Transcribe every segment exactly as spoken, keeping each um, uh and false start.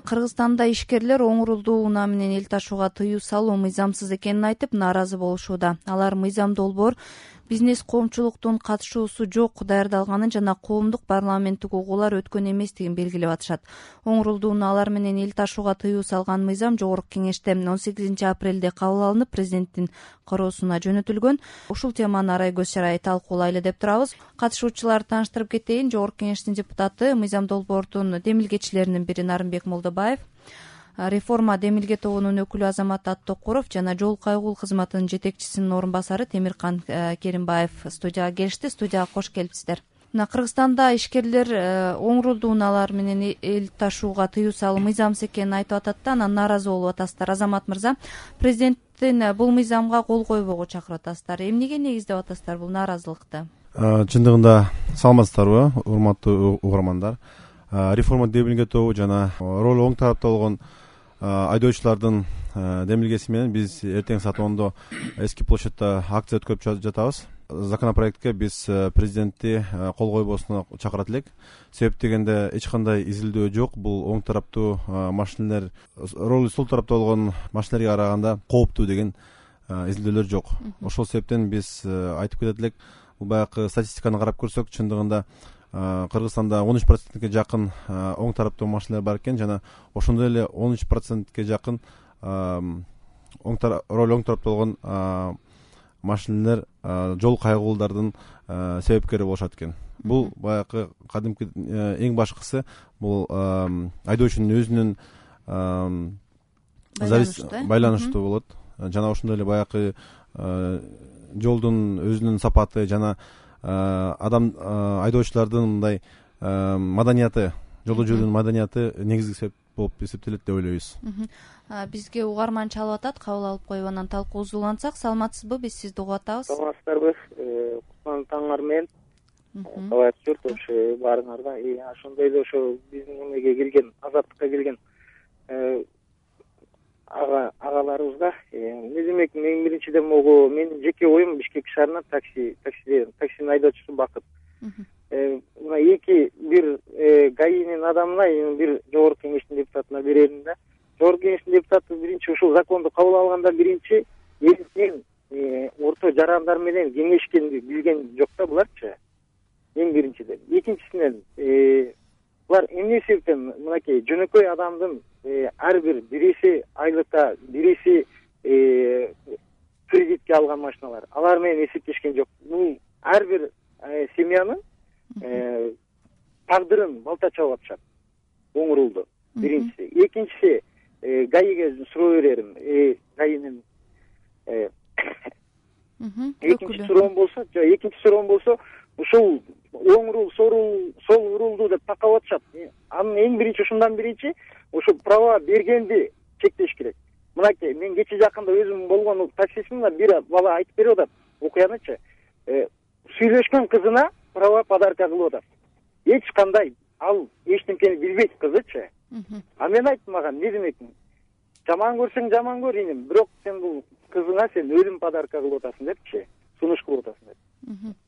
Кыргызстанда ишкерлер оңурулдуу унаа менен эл ташууга тыюу салуу мыйзамсыз экенин айтып нааразы болушууда. Алар мыйзам долбоор бизнес коомчулуктун катышуусу жок даярдалганын жана коомдук парламенттик угуулар өткөн эместигин белгилеп атышат. Оңурулдуу унаалар менен эл ташууга тыюу салган мыйзам Жогорку Кеңеште он сегизинчи апрелде кабыл алынып, президенттин кароосуна жөнөтүлгөн. Ушул теманы арай көз чарай талкуулайлы деп турабыз. Катышуучуларды тааныштырып кетейин. Жогорку Кеңештин депутаты, мыйзам долбоордун демилгечилеринин бири Нарымбек Молдобаев, реформа демилге тобунун өкүлү Азамат Аттокуров жана жол кайгул кызматынын жетекчисинин орун басары Темиркан Керимбаев студияга келишти. Студияга кош келипсиздер. Мына Кыргызстанда ишкерлер оңурулдуу унаалар менен эл ташууга тыюу салуу мыйзамсыз экенин айтып атат да, анан нааразы болуп атасыздар. Азамат мырза, президенттин бул мыйзамга кол койбоого чакырып атасыздар. Эмнеге негиздеп атасыздар бул нааразылыкты? Чындыгында саламатсыздарбы, урматтуу угармандар? Реформа демилге тобу жана ролу оң тарапта болгон айдоочулардын демилгеси менен биз эртең саат ондо эски площадьта акция өткөрүп жатабыз. Законопроектке биз президентти кол койбосуна чакырат элек. Себеп дегенде эч кандай изилдөө жок. Бул оң тараптуу машиналер ролу сол тарапта болгон машиналерге караганда кооптуу деген изилдөөлөр жок. Ошол себептен биз айтып кетет элек, бул баягы статистиканы карап көрсөк, чындыгында Кыргызстанда он үч процентке жакын оң тараптуу машиналар бар экен жана ошондой эле он үч процентке жакын оң ролу оң тарапта болгон машиналер жол кайгуулдардын себепкери болушат экен. Бул баягы кадимки эң башкысы бул айдоочунун өзүнүн байланыштуу болот. Жана ошондой эле баягы жолдун өзүнүн сапаты жана адам айдоочулардын мындай маданияты, жолдо жүрүүнүн маданияты негизги себеп болуп эсептелет деп ойлойбуз. Бизге угарман чалып атат, кабыл алып коюп анан талкуубузду улантсак. Саламатсызбы? Биз сизди угуп атабыз. Саламатсыздарбы? Кутман таңыңар менен. Кабат журт ошо баарыңарга. Ошондой эле ошо биздин эмеге келген, азаттыкка келген ага агаларыбызга эмне демек, мен биринчиден могу менин жеке оюм Бишкек шаарынан такси такси таксинин айдоочусу Бакыт. Мына эки бир ГАИнин адамына, бир Жогорку Кеңештин депутатына берерим да. Жогорку Кеңештин депутаты биринчи ушул законду кабыл алганда биринчи элдин орто жарандар менен кеңешкенди билген жок да буларчы. Эң биринчиден. Экинчисинен булар эмне себептен мынакей жөнөкөй адамдын ар бир бириси айлыкка, бириси кредитке алган машиналар, алар менен эсептешкен жок. Бул ар бир семьянын тагдырын балта чабып атышат. Оңурулду. Биринчиси. Экинчиси, ГАИге суроо берерим. ГАИнин экинчи суроом болсо, экинчи суроом болсо, ушул оңурул, сол урулду деп такап атышат. Анын эң биринчи ушундан биринчи ошо права бергенди чектеш керек. Мынакей, мен кече жакында өзүм болгон таксисимде бир бала айтып берип атат окуянычы. Сүйлөшкөн кызына права подарка кылып атат. Эч кандай ал эчтемкени билбейт кызычы. А мен айттым, мага эмне демек? Жаман көрсөң жаман көр иним, бирок сен бул кызыңа сен өлүм подарка кылып атасың депчи, сунуш кылып атасың деп.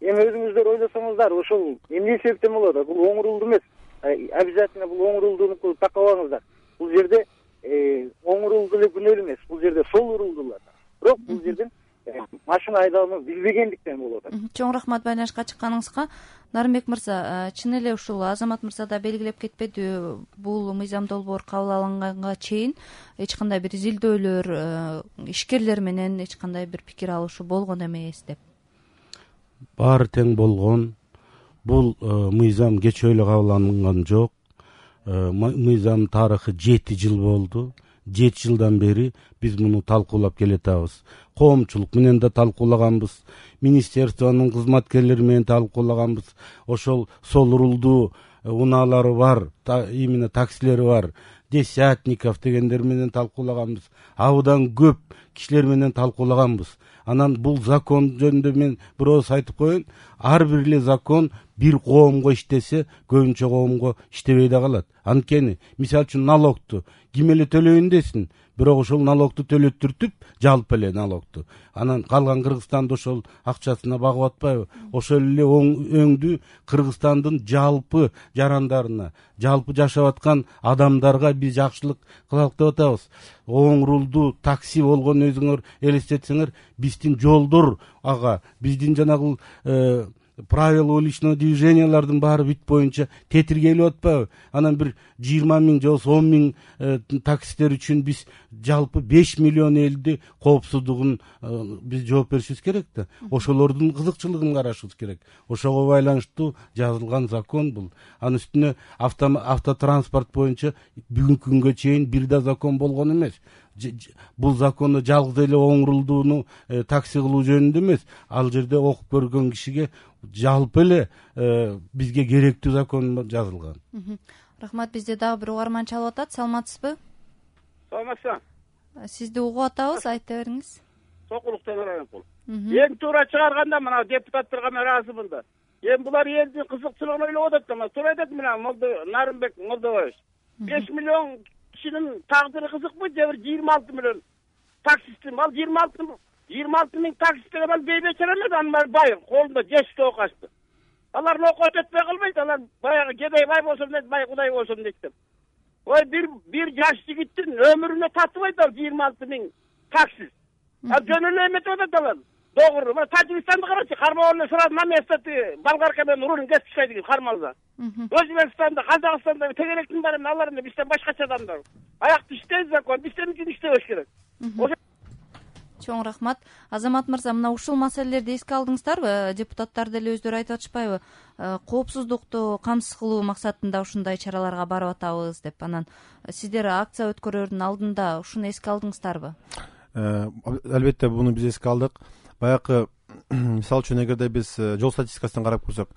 Эми өзүңүздөр ойлосоңуздар, ошол эмне себептен болот? Бул оңурулду эмес. Обязательно бул оңурулдууну такабаңыздар. Бул жерде оңурулду эле күнөөлүү эмес, бул жерде сол урулдулар. Бирок бул жерден машина айдоону билбегендиктен болуп атат. Чоң рахмат байланышка чыкканыңызга. Нарымбек мырза, чын эле ушул Азамат мырза да белгилеп кетпеди, бул мыйзам долбоор кабыл алынганга чейин эч кандай бир изилдөөлөр, ишкерлер менен эч кандай бир пикир алышуу болгон эмес деп. Баары тең болгон. Бул мыйзам кечээ эле кабыл алынган жок. Мыйзам тарыхы жети жыл болду. жети жылдан бери биз муну талкуулап келатабыз. Коомчулук менен да талкуулаганбыз, министерствонун кызматкерлери менен талкуулаганбыз. Ошол сол урулдуу унаалары бар, именно таксилери бар, Десятников дегендер менен талкуулаганбыз. Абдан көп кишилер менен талкуулаганбыз. Анан бул закон жөнүндө мен бирөөс айтып коеюн. Ар бир эле закон бир коомго иштесе көбүнчө коомго иштебей да калат. Анткени мисалы үчүн налогту ким эле төлөйүн десин, бирок ошол налогту төлөттүртүп, жалпы эле налогту анан калган Кыргызстанды ошол акчасына багып атпайбы? Ошол эле өңдү Кыргызстандын жалпы жарандарына, жалпы жашап аткан адамдарга биз жакшылык кылалык деп атабыз. Оң рулду такси болгон өзүңөр элестетсеңер, биздин жолдор ага, биздин жанагы правила уличного движениялардын баары бүт боюнча тетиргелип атпайбы? Анан бир жыйырма миң же болбосо он миң таксисттер үчүн биз жалпы беш миллион элди коопсуздугун биз жооп беришибиз керек да. Ошолордун кызыкчылыгын карашыбыз керек. Ошого байланыштуу жазылган закон бул. Анын үстүнө автотранспорт боюнча бүгүнкү күнгө чейин бир да закон болгон эмес. Бул законду жалгыз эле оң рулдууну такси кылуу жөнүндө эмес, ал жерде окуп көргөн кишиге жалпы эле бизге керектүү закон жазылган. Рахмат. Бизде дагы бир угарман чалып атат. Саламатсызбы? Саламатсызбы. Сизди угуп атабыз, айта бериңиз. Сокулуктан Райымкул. Эң туура чыгарганда мына депутаттарга мен ыраазымын да. Эми булар элдин кызыкчылыгын ойлоп атат да, туура айтат мына Нарымбек Молдобаевич. беш миллион кишинин тагдыры кызыкпы, же бир жыйырма алты миллион таксисттин, ал жыйырма алты жыйырма алты миң таксисттер ал бейбечара эле, анар бай, колунда жештүү окачты. Алар окот өтпөй калбайт, алар баягы кедей бай болсом дейт, бай кудай болсом дейт деп. Ой, бир бир жаш жигиттин өмүрүнө татыбайт ал жыйырма алты миң таксист. А жөн эле эметип атат алар. Doğru. Ama Tacikistan'da karşı karmalarla sıra namestati Balgarka ben urun geçişeydi karmalıda. Özbekistan'da, Kazakistan'da tegerektin barım nallarında bizden başka adamlar. Ayak düşteyiz zakon, bizden için işteyiz gerek. Чоң рахмат. Азамат мырза, мына ушул маселелерди эске алдыңыздарбы? Депутаттар деле өздөрү айтып атышпайбы? Коопсуздукту камсыз кылуу максатында ушундай чараларга барып атабыз деп. Анан сиздер акция өткөрөрдүн алдында ушуну эске алдыңыздарбы? Албетте буну биз эске алдык. Баягы мисалы үчүн эгерде биз жол статистикасын карап көрсөк,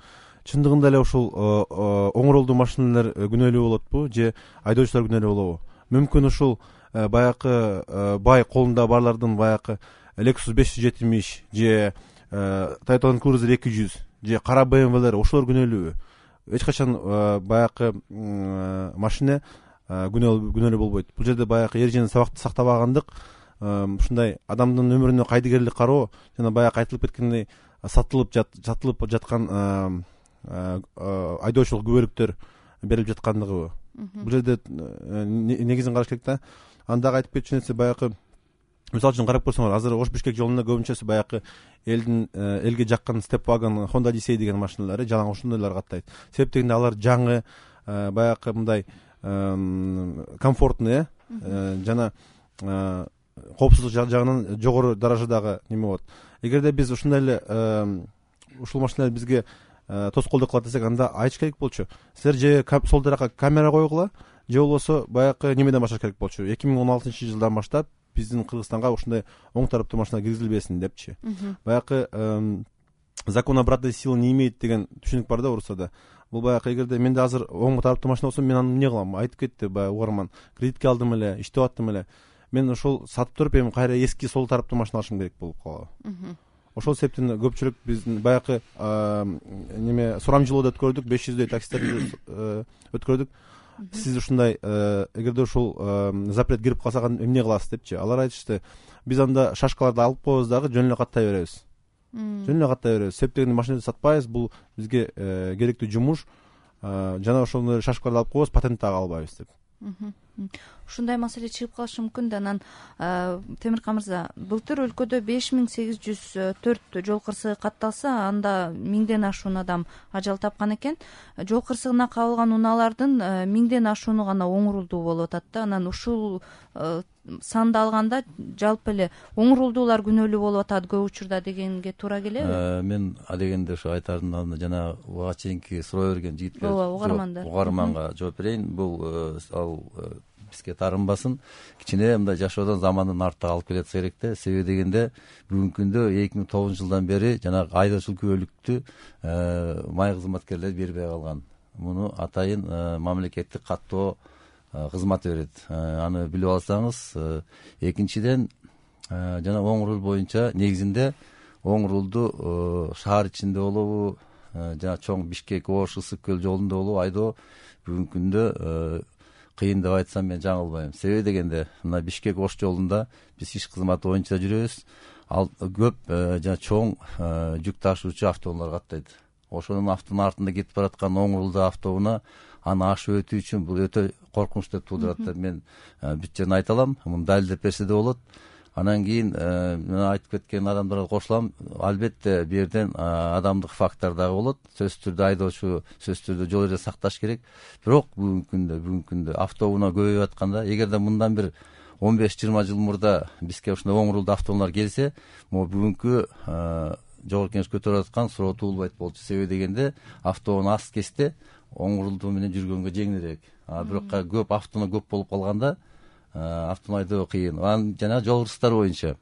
чындыгында эле ушул оң ролдуу машиналар күнөөлүү болотпу же айдоочулар күнөөлүү болобу? Мүмкүн ушул баягы бай колунда барлардын баягы Lexus беш жүз жетимиш же Toyota Land Cruiser эки жүз же кара бэ эм вэлер ошолор күнөөлүүбү? Эч качан баягы машина күнөөлүү болбойт. Бул жерде баягы эрежени сабакты сактабагандык, ушундай адамдын өмүрүнө кайдыгерлик кароо жана баягы айтылып кеткендей сатылып сатылып жаткан айдоочулук күбөлүктөр берилип жаткандыгыбы? Бул жерде негизин караш керек да. Андагы айтып кетчү нерсе баягы мисалы үчүн карап көрсөңөр, азыр Ош Бишкек жолунда көбүнчөсү баягы элдин элге жаккан Stepwagon, Honda Odyssey деген машиналар, жалаң ошондойлор каттайт. Себеп дегенде алар жаңы, баягы мындай комфортный жана коопсуздук жагынан жогору даражадагы неме болот. Эгерде биз ушундай эле ушул машиналар бизге тоскоолдук кылат десек, анда айтыш керек болчу. Силер же сол таракка камера койгула, же болбосо баягы немеден башташ керек болчу. эки миң он алтынчы жылдан баштап биздин Кыргызстанга ушундай оң тараптуу машина киргизилбесин депчи. Баягы закон обратной силы не имеет деген түшүнүк бар да орусчада. Бул баягы эгерде менде азыр оң тараптуу машина болсо, мен аны эмне кылам? Айтып кетти баягы угарман. Кредитке алдым эле, иштеп аттым эле. Мен ошол сатып туруп эми кайра эски сол тараптуу машина алышым керек болуп калабы. Ошол себептен көпчүлүк биздин баягы неме сурамжылоодо өткөрдүк, беш жүздөй таксистерди өткөрдүк. Сиз ушундай эгерде ушул запрет кирип калса эмне кыласыз депчи. Алар айтышты, биз анда шашкаларды алып коебуз дагы жөн эле каттай беребиз. Жөн эле каттай беребиз. Себеп дегенде машинаны сатпайбыз, бул бизге керектүү жумуш. Жана ошондой шашкаларды алып коебуз, патент дагы албайбыз деп. Ушундай маселе чыгып калышы мүмкүн да. Анан Темиркан мырза, былтыр өлкөдө беш миң сегиз жүз төрт жол кырсыгы катталса, анда миңден ашуун адам ажал тапкан экен. Жол кырсыгына кабылган унаалардын миңден ашууну гана оң рулдуу болуп атат да. Анан ушул санды алганда жалпы эле оң рулдуулар күнөөлүү болуп атат көп учурда дегенге туура келеби? Мен адегенде ошо айтардын жана буга чейинки суроо берген жигитке угармандар угарманга жооп берейин. Бул ал бизге таарынбасын, кичине мындай жашоодон замандын артта калып келатса керек да. Себеби дегенде бүгүнкү күндө эки миң тогузунчу жылдан бери жанагы айдоочулук күбөлүктү май кызматкерлер бербей калган. Муну атайын мамлекеттик каттоо кызматы берет. Аны билип алсаңыз, экинчиден жана оң рул боюнча негизинде оң рулду шаар ичинде болобу, жана чоң Бишкек Ош Ысык көл жолунда болуп айдоо бүгүнкү күндө кыйын деп айтсам мен жаңылбайм. Себеби дегенде мына Бишкек Ош жолунда биз иш кызматы боюнча жүрөбүз. Ал көп жана чоң жүк ташуучу автоунаалар каттайт. Ошонун автонун артында кетип бараткан оң рулдуу автоунаа аны ашып өтүү үчүн бул өтө коркунуч деп туудурат деп мен бүт жерин айта алам. Муну далилдеп берсе да болот. Анан кийин мен айтып кеткен адамдарга кошулам. Албетте бул жерден адамдык фактор дагы болот. Сөзсүз түрдө айдоочу сөзсүз түрдө жол эре сакташ керек. Бирок бүгүнкү күндө бүгүнкү күндө автоунаа көбөйүп атканда, эгерде мындан бир он беш жыйырма жыл мурда бизге ушундай оң рулдуу автоунаалар келсе, могу бүгүнкү жогорку кеңеш көтөрүп аткан суроо туулбайт болчу. Себеби дегенде автоунаа аз кезде оң рулдуу менен жүргөнгө жеңилирээк. А бирок көп автоунаа көп болуп калганда автоунаа айдоо кыйын. Анан жана жол кырсыктары боюнча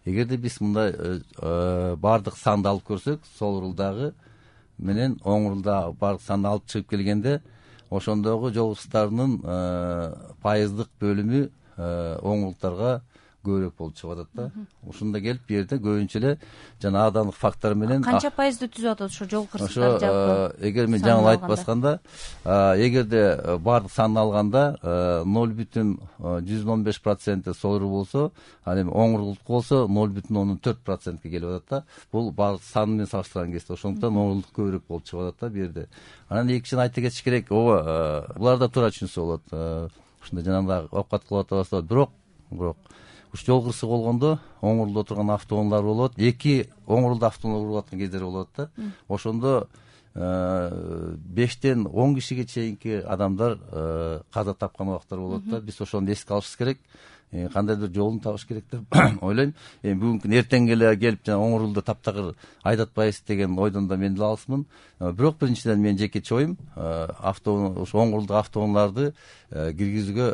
эгерде биз мындай баардык санды алып көрсөк, сол рулдагы менен оң рулда баардык санды алып чыгып келгенде, ошондогу жол кырсыктарынын пайыздык бөлүмү оң рулдарга көбүрөөк болуп чыгып атат да. Ушунда келип бул жерде көбүнчө эле жана адамдык фактор менен канча пайызды түзүп атат ошо жол кырсыктары жалпы? Эгер мен жаңылык айтпасканда, эгерде баардык санды алганда ноль бүтүн жүздөн он беш проценти сол рул болсо, ал эми оң рулдук болсо ноль бүтүн ондон төрт процентке келип атат да. Бул баардык сан менен салыштырган кезде ошондуктан оң рулдук көбүрөөк болуп чыгып атат да бул жерде. Анан экинчиден айта кетиш керек, ооба, булар да туура түшүнсө болот. Ушундай жанагындай оокат кылып атабыз, бирок бирок уш жол кырсыгы болгондо оң рулда отурган автоунаалар болот. Эки оң рулда автоунаа уруп аткан кездер болот да. Ошондо бештен он кишиге чейинки адамдар каза тапкан убактар болот да. Биз ошону эске алышыбыз керек. Кандайдыр жолун табыш керек деп ойлойм. Эми бүгүнкү күнү эртең эле келип жана оң рулда таптакыр айдатпайбыз деген ойдон да мен деле алысмын. Бирок биринчиден мен жекече оюм, автоунаа ушу оң рулдуу автоунааларды киргизүүгө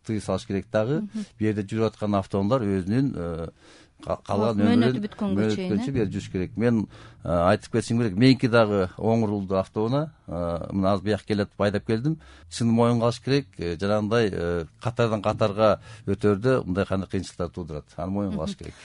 тыюу салыш керек дагы. Бул жерде жүрүп аткан автоунаалар өзүнүн калган өмүрүн бүткөнгө чейин бери жүрүш керек. Мен айтып кетишим керек, меники дагы оң рулдуу автоунаа мына азыр бияка келатып айдап келдим. Чын моюнга алыш керек, жанагындай катардан катарга өтөрдө мындай кандай кыйынчылыктар туудурат. Аны моюнга алыш керек.